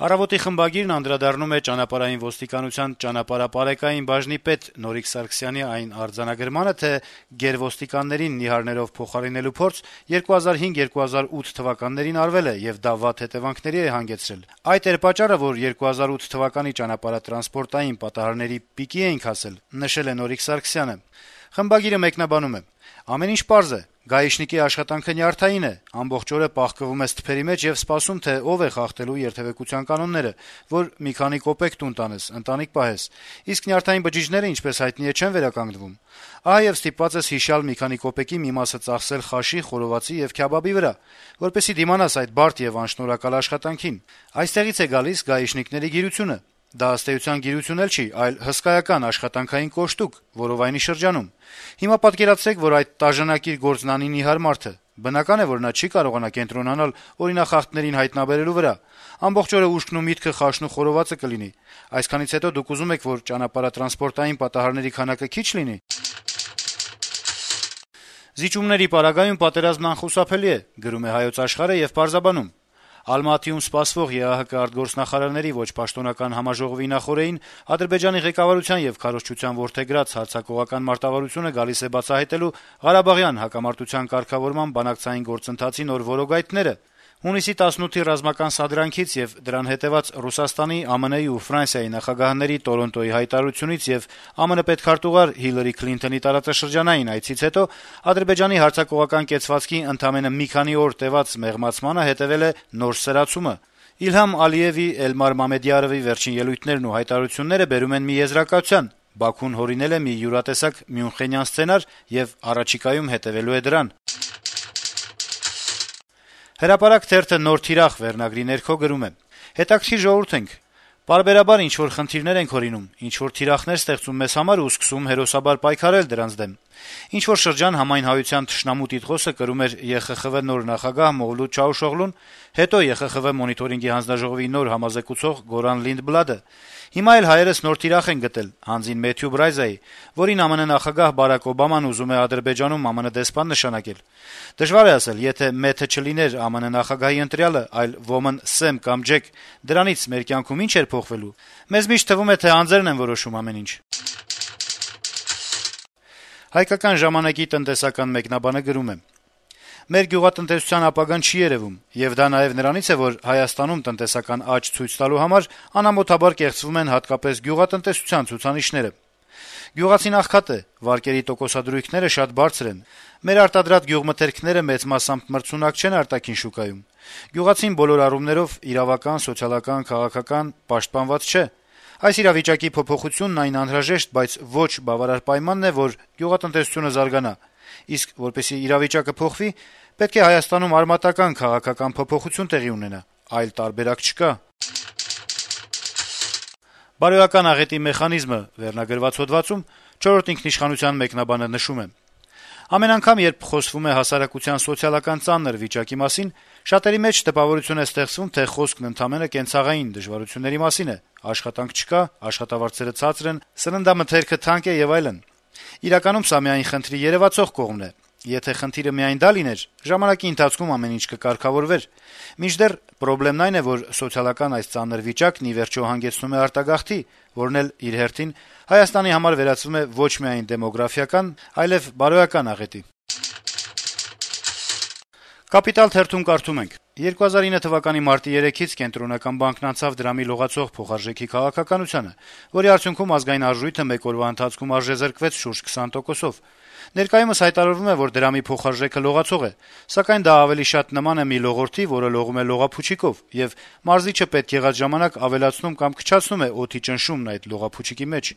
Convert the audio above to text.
Առավոտի խմբագիրն անդրադառնում է ճանապարհային ոստիկանության ճանապարհապարեկային բաժնի պետ Նորիկ Սարգսյանի այն արձանագրմանը, թե գերոստիկաններին նիհարներով փոխարինելու փորձ 2005-2008 թվականներին արվել է եւ դա վատ հետեւանքների է հանգեցրել։ Այդ էր պատճառը, որ 2008 թվականի ճանապարհատրանսպորտային պատահարների պիկի էինք հասել, նշել է Նորիկ Սարգսյանը։ Խմբագիրը մեկնաբանում է. «Ամեն ինչ պարզ է. գայիշնիկի աշխատանքը նյարդային է, ամբողջ օրը պահկվում ես թփերի մեջ եւ սպասում, թե ով է խախտելու երթեւեկության կանոնները, որ մի քանի կոպեկ տուն տանես, ընտանիք պահես։ Իսկ նյարդային բջիջները, ինչպես հայտնի է, չեն վերականգնվում։ Ահա եւ ստիպված ես հիշալ մի քանի կոպեկի մի մասը ծախսել խաշի, խորովածի եւ քյաբաբի վրա, որպեսզի դիմանաս այդ բարդ եւ անշնորհակալ աշխատանքին։ Այստեղից է գալիս գայիշնիկների գիրությունը։ Դա ըստ էության գիրություն էլ չի, այլ հսկայական աշխատանքային կոշտուկ, որովայնի շրջանում։ Հիմա պատկերացրեք, որ այդ տաժանակիր գործնանի նիհար մարդը, բնական է, որ նա չի կարողանա կենտրոնանալ օրինախախտներին հայտնաբերելու վրա։ Ամբողջ օրը ուշքն ու միտքը խաշն ու խորովածը կլինի։ Այսքանից հետո դուք ուզում եք, որ ճանապարհատրանսպորտային պատահարների քանակը քիչ լինի։ Զիջումների պարագայում պատերազմն անխուսափելի է, գրում է Հայոց Աշխարհը եւ պարզաբանում. Ալմատիում սպասվող ԵԱՀԿ արտգործնախարարների ոչ պաշտոնական համաժողովի նախօրեին Ադրբեջանի ղեկավարության եւ քարոզչության որդեգրած հարձակողական մարտավարությունը գալիս է բացահայտելու Ղարաբաղյան հակամարտության կարգավորման բանակցային գործընթացի նոր որոգայթները։ Հունիսի 18-ի ռազմական սադրանքից եւ դրան հետեւած Ռուսաստանի, ԱՄՆ-ի ու Ֆրանսիայի նախագահների Տորոնտոյի հայտարարությունից եւ ԱՄՆ պետքարտուղար Հիլարի Քլինթոնի տարածաշրջանային այցից հետո Ադրբեջանի հարձակողական կեցվածքի ընդամենը մի քանի օր տեւած մեղմացմանը հետեւել է նոր սրացումը։ Իլհամ Ալիևի, Էլմար Մամեդյարովի վերջին ելույթներն ու հայտարարությունները բերում են մի եզրակացության. Բաքուն հորինել է մի յուրատեսակ Մյունխենյան սցենար եւ առաջիկայում հետեւելու է դրան։ Հրապարակ թերթը «Նոր թիրախ» վերնագրի ներքո գրում է. «Հետաքրքիր ժողովուրդ ենք։ Պարբերաբար ինչ-որ խնդիրներ ենք հորինում, ինչ-որ թիրախներ ստեղծում մեզ համար ու սկսում հերոսաբար պայքարել դրանց դեմ։ Ինչ-որ շրջան համայն հայության թշնամու տիտղոսը կրում էր ԵԽԽՎ նոր նախագահ Մովլուդ Չաուշօղլուն, հետո ԵԽԽՎ մոնիտորինգի հանձնաժողովի նոր համազեկուցող Գորան Լինդբլադը։ Հիմա էլ հայերս նոր թիրախ են գտել հանձին Մեթյու Բրայզայի, որին ԱՄՆ նախագահ Բարակ Օբաման ուզում է Ադրբեջանում ԱՄՆ դեսպան նշանակել։ Դժվար է ասել, եթե Մեթը չլիներ ԱՄՆ նախագահի ընտրյալը, այլ ոմն Սեմ կամ Ջեք, դրանից մեր կյանքում ինչ էր փոխվելու։ Մեզ միշտ թվում է, թե անձերն են որոշում ամեն ինչ»։ Հայկական ժամանակի տնտեսական մեկնաբանը գրում է. «Մեր գյուղատնտեսության ապագան չի երևում, եւ դա նաեւ նրանից է, որ Հայաստանում տնտեսական աճ ցույց տալու համար անամոթաբար կեղծվում են հատկապես գյուղատնտեսության ցուցանիշները։ Գյուղացին աղքատ է, վարկերի տոկոսադրույքները շատ բարձր են։ Մեր արտադրած գյուղմթերքները մեծ մասամբ մրցունակ չեն արտաքին շուկայում։ Գյուղացին բոլոր առումներով իրավական, սոցիալական, քաղաքական պաշտպանված չէ։ Այս իրավիճակի փոփոխությունն այն անհրաժեշտ, բայց ոչ բավարար պայմանն է, որ գյուղատնտեսությունը զարգանա։ Իսկ որպեսզի իրավիճակը փոխվի, պետք է Հայաստանում արմատական քաղաքական փոփոխություն տեղի ունենա, այլ տարբերակ չկա»։ «Բարոյական աղետի մեխանիզմը» վերնագրված հոդվածում 4-րդ ինքնիշխանության մեկնաբանը նշում է. «Ամեն անգամ, երբ խոսվում է հասարակության սոցիալական ծանր վիճակի մասին, շատերի մեջ տպավորություն է ստեղծվում, թե խոսքն ընդամենը կենցաղային դժվարությունների մասին է. աշխատանք չկա, աշխատավարձերը ցածր են, սննդամթերքը թանկ է եւ այլն։ Իրականում սա միայն խնդրի երեւացող կողմն է։ Եթե խնդիրը միայն դա լիներ, ժամանակի ընթացքում ամեն ինչ կկարգավորվեր։ Մինչդեռ պրոբլեմն այն է, որ սոցիալական այս ծանր վիճակն ի վերջո հանգեցնում է արտագաղթի, որն էլ իր հերթին Հայաստանի համար վերածվում է ոչ միայն դեմոգրաֆիական, այլև բարոյական աղետի»։ «Կապիտալ» թերթում կարդում ենք. 2009 թվականի մարտի 3-ից Կենտրոնական բանկն անցավ դրամի լողացող փոխարժեքի քաղաքականությանը, որի արդյունքում ազգային արժույթը մեկ օրվա ընթացքում արժեզրկվեց շուրջ 20%-ով։ Ներկայումս հայտարարվում է, որ դրամի փոխարժեքը լողացող է, սակայն դա ավելի շատ նման է մի լողորդի, որը լողում է լողափուչիկով, եւ մարզիչը պետք եղած ժամանակ ավելացնում կամ քչացնում է օդի ճնշումն այդ լողափուչիկի մեջ։